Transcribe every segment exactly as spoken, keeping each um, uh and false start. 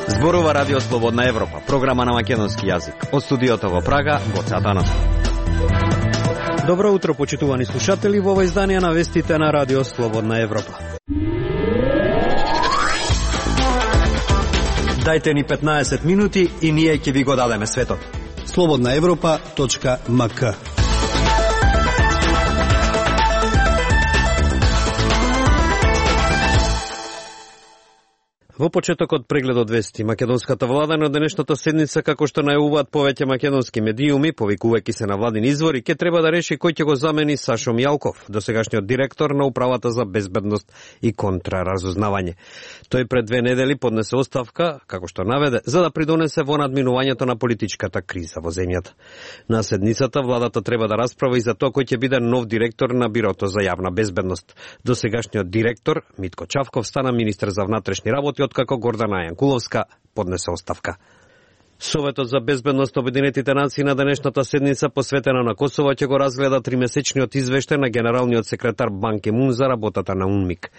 Зборува Радио Слободна Европа, програма на македонски јазик. Од студиото во Прага, Гоце Атанасов. Добро утро, почитувани слушатели, во ова издание на вестите на Радио Слободна Европа. Дајте ни петнаесет минути и ние ќе ви го дадеме светот. слободна европа точка ем ка. Во почетокот прегледот вести, македонската влада на денешната седница, како што најавуваат повеќе македонски медиуми, повикувајќи се на владини извори, ќе треба да реши кој ќе го замени Сашо Мијалков, досегашниот директор на Управата за безбедност и контраразузнавање. Тој пред две недели поднесе оставка, како што наведе, за да придонесе во надминувањето на политичката криза во земјата. На седницата владата треба да расправа и за тоа кој ќе биде нов директор на Бирото за јавна безбедност. Досегашниот директор Митко Чавков стана министер за внатрешни работи како Гордана Јанкуловска поднесе оставка. Советот за безбедност Обединетите нации на денешната седница посветена на Косово ќе го разгледа тримесечниот извештај на генералниот секретар Бан Ки Мун за работата на УНМИК.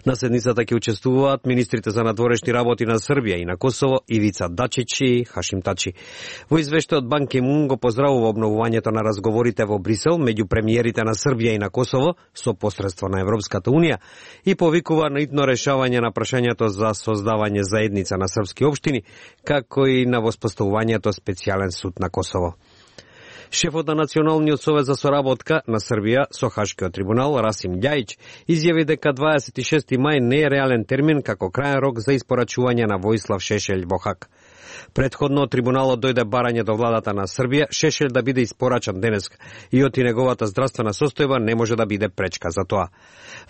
На седницата ќе учествуваат министрите за надворешни работи на Србија и на Косово Ивица Дачич и Хашим Тачи. Во извештајот Бан Ки Мун го поздравува обновувањето на разговорите во Брисел меѓу премиерите на Србија и на Косово со посредство на Европската унија и повикува на итно решавање на прашањето за создавање заедница на српски општини, како и на воспоставувањето специјален суд на Косово. Шефот на Националниот совет за соработка на Србија со Хашкиот трибунал Расим Љајич изјави дека дваесет и шести мај не е реален термин како крајен рок за испорачување на Војслав Шешелј во Хаг. Предходно трибуналот дојде барање до владата на Србија Шешелј да биде испорачан денеска и оти неговата здравствена состојба не може да биде пречка за тоа.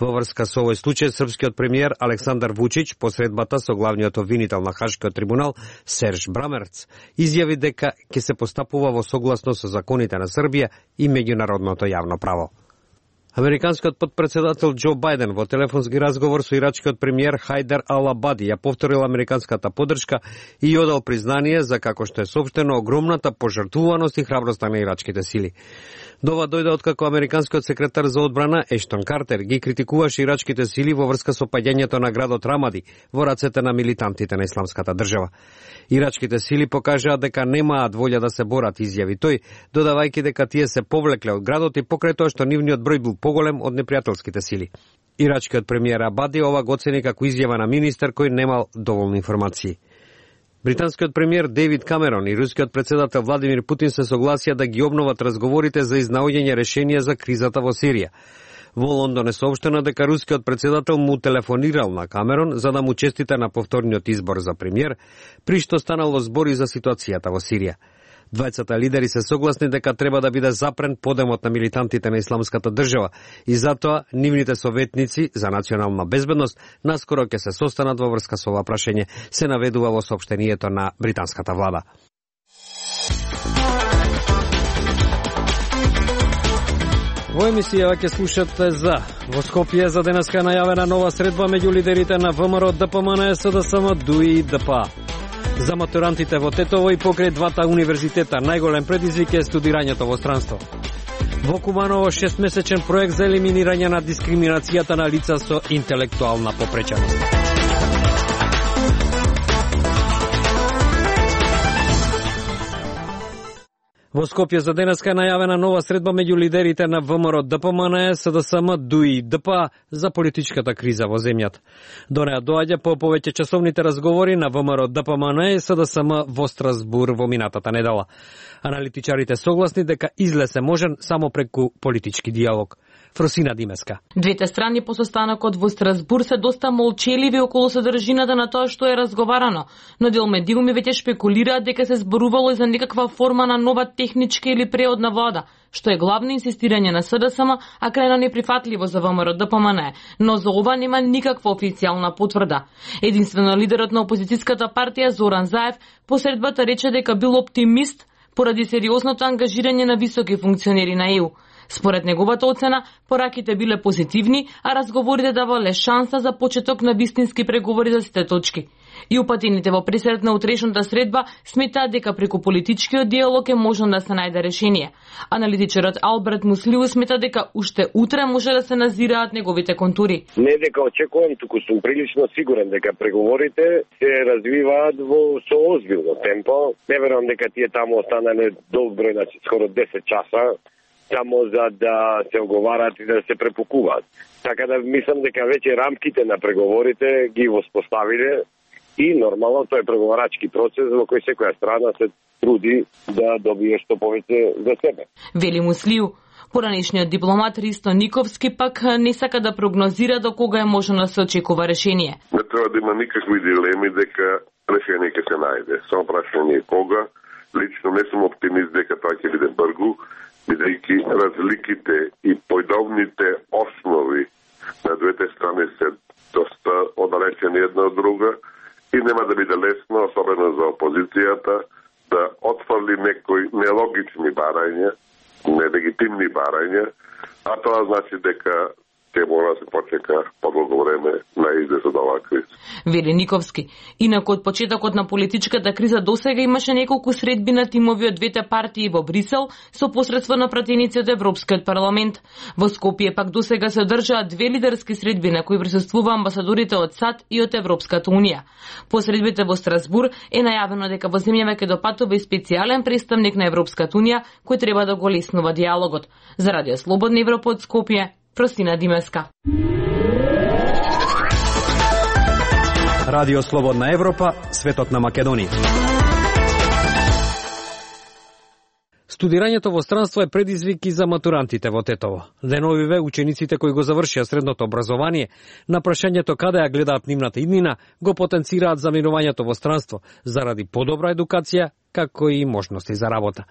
Во врска со овој случај, српскиот премиер Александар Вучич, посредбата со главниот обвинител на Хашкиот трибунал Серж Брамерц, изјави дека ќе се постапува во согласно со законите на Србија и меѓународното јавно право. Американскиот потпредседател Џо Бајден во телефонски разговор со ирачкиот премиер Хајдер Ал-Абади ја повторил американската поддршка и одал признание за, како што е соопштено, огромната пожртвуваност и храброста на ирачките сили. Дова дојде откако американскиот секретар за одбрана Ештон Картер ги критикуваше ирачките сили во врска со паѓањето на градот Рамади во рацете на милитантите на Исламската држава. Ирачките сили покажаа дека немаат волја да се борат, изјави тој, додавајќи дека тие се повлекле од градот и покрај тоа што нивниот број бил поголем од непријателските сили. Ирачкиот премиер Абади ова го оцени како изјава на министер кој немал доволни информации. Британскиот премиер Дејвид Камерон и рускиот председател Владимир Путин се согласија да ги обноват разговорите за изнаоѓање решение за кризата во Сирија. Во Лондон е соопштено дека рускиот председател му телефонирал на Камерон за да му честита на повторниот избор за премиер, при што станало збори за ситуацијата во Сирија. Двајцата лидери се согласни дека треба да биде запрен подемот на милитантите на Исламската држава и затоа нивните советници за национална безбедност наскоро ќе се состанат во врска со ова прашање, се наведува во соопштението на британската влада. Во емисијава ќе слушате за во Скопје за денеска најавена нова средба меѓу лидерите на ВМРО, ДПМН, СДСМ, ДУИ и ДПА. За матурантите во Тетово и покрај двата универзитета најголем предизвик е студирањето во странство. Во Куманово шестмесечен проект за елиминирање на дискриминацијата на лица со интелектуална попреченост. Во Скопје за денеска е најавена нова средба меѓу лидерите на ВМРО, ДПМН, СДСМ, ДУИ и ДПА за политичката криза во земјата. До неа доаѓа по повеќе часовните разговори на ВМРО, ДПМН и СДСМ во Страсбур во минатата недела. Аналитичарите согласни дека излез е можен само преку политички диалог. Фросина Димеска. Двете страни по состанокот во Страсбур се доста молчеливи околу содржината на тоа што е разговарано, но дел медиуми веќе шпекулираат дека се зборувало и за некаква форма на нова техничка или преодна влада, што е главно инсистирање на СДСМ, а крајно неприфатливо за ВМРО, ДПМН, но за ова нема никаква официјална потврда. Единствено лидерот на опозицијската партија Зоран Заев посредбата рече дека бил оптимист поради сериозното ангажирање на високи функционери на Е У. Според неговата оцена, пораките биле позитивни, а разговорите давале шанса за почеток на вистински преговори за сите точки. И упатените во пресред на утрешната средба сметаат дека преку политичкиот диалог е можно да се најде решение. Аналитичарот Алберт Муслиу смета дека уште утре може да се назираат неговите контури. Не дека очекувам, туку сум прилично сигурен дека преговорите се развиваат во со озбилно темпо. Не верувам дека тие таму останале долг број, значи скоро десет часа, само за да се оговарат и да се препукуваат. Така да мислам дека веќе рамките на преговорите ги воспоставиле и нормално тој е преговарачки процес во кој секоја страна се труди да добие што повеќе за себе. Вели Муслиу. Поранешниот дипломат Ристо Никовски пак не сака да прогнозира до кога е можно да се очекува решение. Не треба да има никакви дилеми дека решение ќе се најде. Само прашање е кога. Лично не сум оптимист дека тоа ќе биде брзо, бидејќи разликите и појдовните основи на двете страни се доста оддалечени една од друга и нема да биде лесно, особено за опозицијата, да отфрли некои нелогични барања, нелегитимни барања, а тоа значи дека ќе мора да се почека подолго време на излез од оваа криза. Вели Никовски. Инаку од почетокот на политичката криза досега имаше неколку средби на тимови од двете партии во Брисел со посредство на пратеници од Европскиот парламент. Во Скопје пак досега се одржаа две лидерски средби на кои присуствува амбасадорите од САД и од Европската унија. По средбите во Страсбур е најавено дека во земјава ќе допатува и специјален представник на Европската унија кој треба да го леснува диалогот. За Радио Слободна Европа од Скопје, Простина Димеска. Радио Слободна Европа, светот на Македонија. Студирањето во странство е предизвик и за матурантите во Тетово. Деновиве учениците кои го завршија средното образование, на прашањето каде ја гледаат нивната иднина, го потенцираат заминувањето во странство заради подобра едукација, како и можности за работа.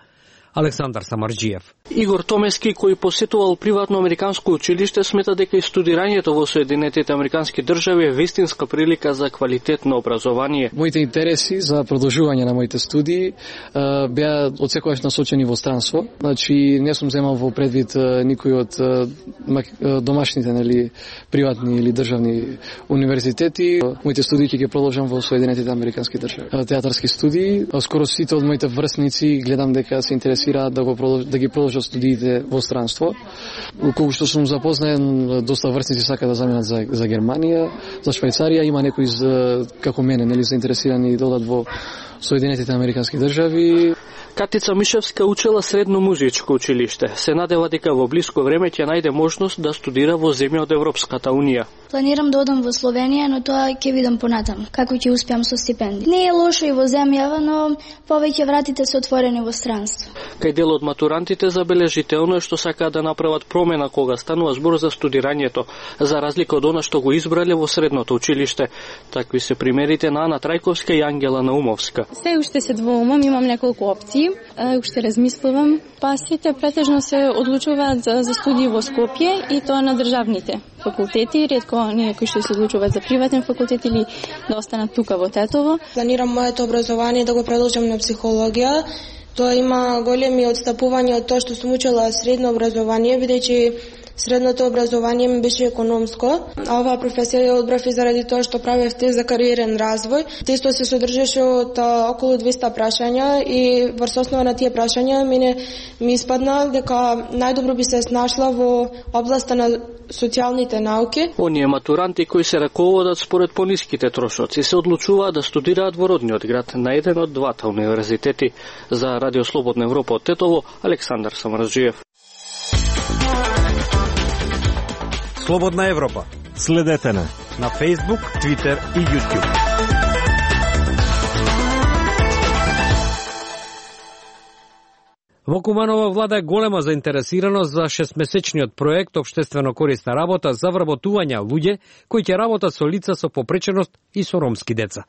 Александар Самарџиев. Игор Томески, кој посетувал приватно американско училиште, смета дека и студирањето во Соединетите американски држави е вистинска прилика за квалитетно образование. Моите интереси за продолжување на моите студии беа отсекогаш насочени во странство. Значи не сум земал во предвид никој од домашните, нели, приватни или државни универзитети. Моите студии ќе ги продолжам во Соединетите американски држави. Театарски студии, скоро сите од моите врсници гледам дека се интересираат да го продолж, да ги продолжат студиите во странство. Колку што сум запознаен, доста врсници сака да заминат за за Германија, за Швајцарија, има некои како мене, нели, заинтересирани да одат во Соединетите американски држави. Катица Мишевска учела средно музичко училиште. Се надева дека во блиско време ќе најде можност да студира во земја од Европската унија. Планирам да одам во Словенија, но тоа ќе видам понатаму, како ќе успеам со стипендија. Не е лошо и во земјава, но повеќе вратите се отворени во странство. Кај дел од матурантите забележително е што сакаат да направат промена кога станува збор за студирањето, за разлика од она што го избрале во средното училиште. Такви се примерите на Ана Трајковска и Ангела Наумовска. Се уште се двоумам, имам неколку опции, уште размислувам. Па сите претежно се одлучуваат за, за студии во Скопје и тоа на државните факултети, ретко оние кои што се одлучуваат за приватен факултет или да останат тука во Тетово. Планирам моето образование да го продолжам на психологија. Тоа има големи отстапувања од тоа што сум учела средно образование, бидејќи средното образование ми беше економско, а оваа професија ја одбрав и заради тоа што правев тест за кариерен развој. Тестот се содржеше од а, околу двеста прашања и врз основа на тие прашања мене ми испадна дека најдобро би се snašла во областа на социјалните науки. Оние матуранти кои се раководат според пониските трошоци се одлучуваат да студираат во родниот град на еден од двата универзитети. За Радио Слободна Европа од Тетово, Александар Самарџиев. Слободна Европа. Следете на на Facebook, Twitter и YouTube. Во Куманово влада голема заинтересираност за шестмесечниот проект Обштествено корисна работа за вработување луѓе кои ќе работат со лица со попреченост и со ромски деца.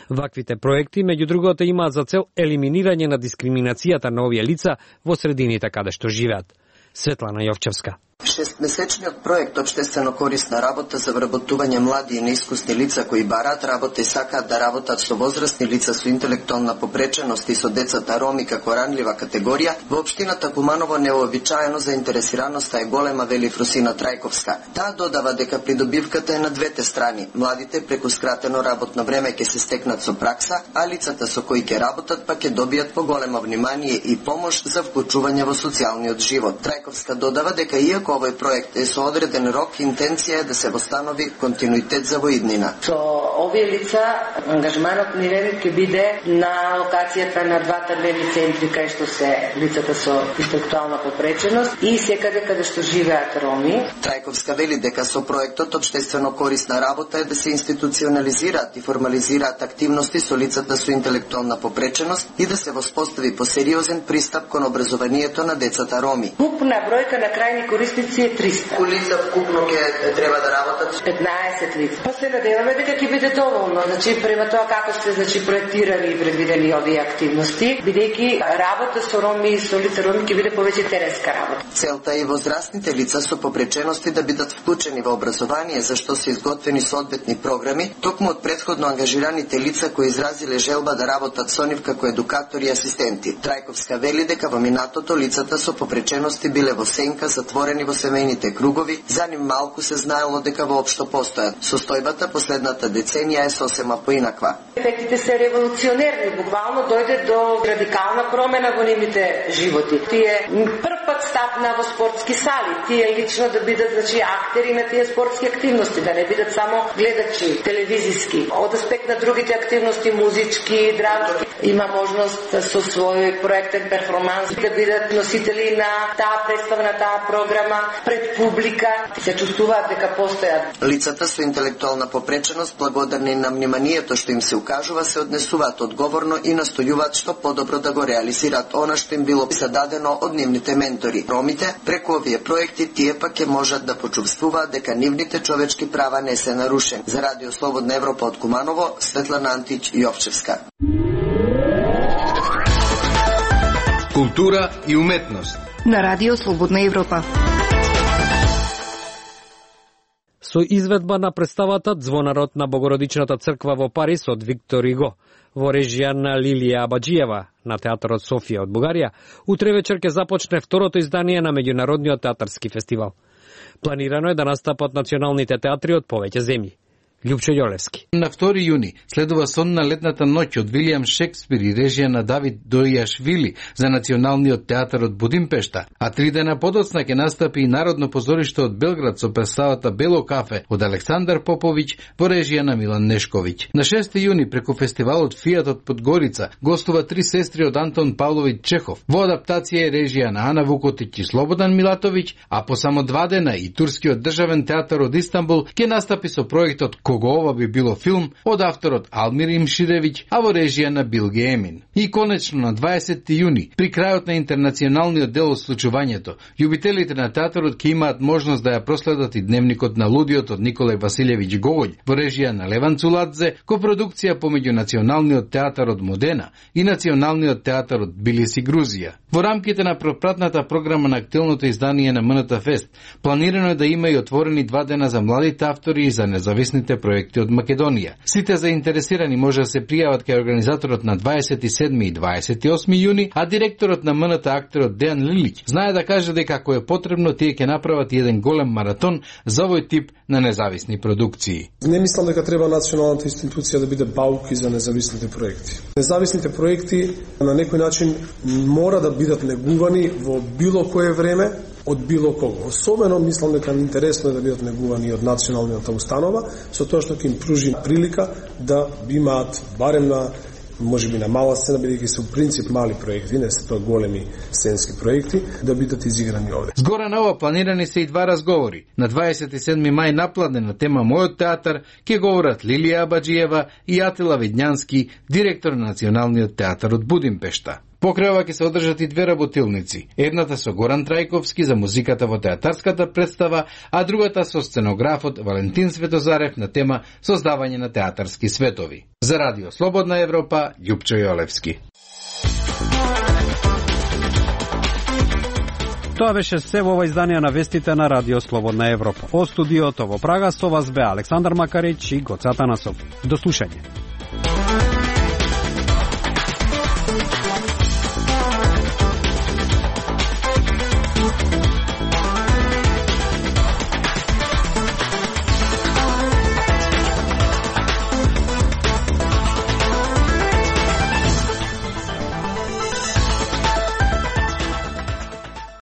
Ваквите проекти, меѓу другото, имаат за цел елиминирање на дискриминацијата на овие лица во средините каде што живеат. Светлана Јовчевска. Шестмесечниот проект Обштествено корисна работа за вработување млади и неискусни лица кои бараат работа и сакаат да работат со возрастни лица со интелектуална попреченост и со децата роми како ранлива категорија, во општината Куманово неуобичаено заинтересираноста е голема, вели Фрусина Трајковска. Таа додава дека придобивката е на двете страни. Младите преку скратено работно време ќе се стекнат со пракса, а лицата со кои ќе работат па ќе добијат поголемо внимание и помош за вклучување во социјалниот живот. Трајковска додава дека иако овој проект е со одреден рок, интенција е да се востанови континуитет за воиднина. Со овие лица ангажманот ни ќе биде на локацијата на двата дневни центри кај што се лицата со интелектуална попреченост и секаде каде што живеат роми. Трајковска вели дека со проектот Обштествено корисна работа е да се институционализираат и формализираат активности со лицата со интелектуална попреченост и да се воспостави посериозен пристап кон образованието на децата роми. Купна бројка на крајни корисници е триста. Колку лица вкупно ќе треба да работат? петнаесет лица. Па се надеваме дека ќе биде доволно, значи према тоа како се значи проектирани и предвидени овие активности, бидејќи работа со роми и со лица роми ќе биде повеќе теренска работа. Целта е и возрастните лица со попречености да бидат вклучени во образование, за што се изготвени соодветни програми, токму од претходно ангажираните лица кои изразиле желба да работат со нив како едукатори и асистенти. Трајковска вели дека во минатото лицата со попречености биле во сенка, затворени во семејните кругови, за ним малку се знаело дека воопшто постојат. Состојбата последната деценија е сосема поинаква. Ефектите се револуционерни, буквално дојде до радикална промена во нивните животи. Тие прв пат стапна во спортски сали, тие лично да бидат значи актери на тие спортски активности, да не бидат само гледачи телевизиски. Од аспект на другите активности, музички, драмски, има можност со свој проектен перформанс да бидат носители на таа представа, на таа програма пред публика, се чувствуваат дека постојат. Лицата со интелектуална попреченост, благодарни на вниманието што им се укажува, се однесуваат одговорно и настојуваат што подобро да го реализираат она што им било зададено од нивните ментори. Ромите, преку овие проекти, тие пак ќе можат да почувствуваат дека нивните човечки права не се нарушени. За Радио Слободна Европа од Куманово, Светлана Антич Јовчевска. Култура и уметност на Радио Слободна Европа. Со изведба на представата Звонарот на Богородичната црква во Париз од Виктор Иго, во режија на Лилија Абаджиева на Театарот Софија од Бугарија, утре вечер ќе започне второто издание на меѓународниот театарски фестивал. Планирано е да настапат националните театри од повеќе земји. Љупчо Јолевски. На втори јуни следува Сон на летната ноќ од Вилијам Шекспир и режија на Давид Дојашвили за Националниот театар од Будимпешта, а три дена подоцна ќе настапи и Народно позориште од Белград со представата Бело кафе од Александар Поповиќ во режија на Милан Нешковиќ. На шести јуни преку фестивалот Фијат од Подгорица гостува Три сестри од Антон Павловиќ Чехов. Во адаптација е режија на Ана Вукотиќ и Слободан Милатовиќ, а по само два дена и Турскиот државен театар од Истанбул ќе настапи со проектот Кого ова би било филм од авторот Алмир Имширевиќ, а во режија на Билге Емин. И конечно на дваесети јуни, при крајот на интернационалниот дел од случувањето, љубителите на театарот ќе имаат можност да ја проследат и дневникот на лудиот од Николај Василевиќ Гогољ во режија на Леван Цуладзе, копродукција помеѓу Националниот театар од Модена и Националниот театар од Тбилиси, Грузија. Во рамките на пропратната програма на актуелното издание на МНТ Фест, планирано е да има и отворени два дена за младите автори и за независните проекти од Македонија. Сите заинтересирани може да се пријават кај организаторот на дваесет и седми и дваесет и осми јуни, а директорот на МНТ актерот Дејан Лилиќ знае да каже дека ако е потребно, тие ќе направат еден голем маратон за овој тип на независни продукции. Не мислам дека треба националната институција да биде бауки за независните проекти. Независните проекти на некој начин мора да бидат негувани во било кое време од било кого. Особено мислам дека интересно е да бидат негувани од националната установа, со тоа што ќе им пружи прилика да имаат барем на можеби на мала сцена, бидејќи се у принцип мали проекти, не се тоа големи сценски проекти, да бидат изиграни овде. Згора на ова планирани се и два разговори. На дваесет и седми мај напладне на тема Мојот театар ќе говорат Лилија Абаджиева и Атила Видњански, директор на Националниот театар од Будимпешта. Покрај ова ќе се одржат и две работилници. Едната со Горан Трајковски за музиката во театарската представа, а другата со сценографот Валентин Светозарев на тема Создавање на театарски светови. За Радио Слободна Европа, Љупчо Јолевски. Тоа беше се во ова издание на вестите на Радио Слободна Европа. Од студиото во Прага со вас бе Александар Макарич и Гоце Атанасов. До слушање.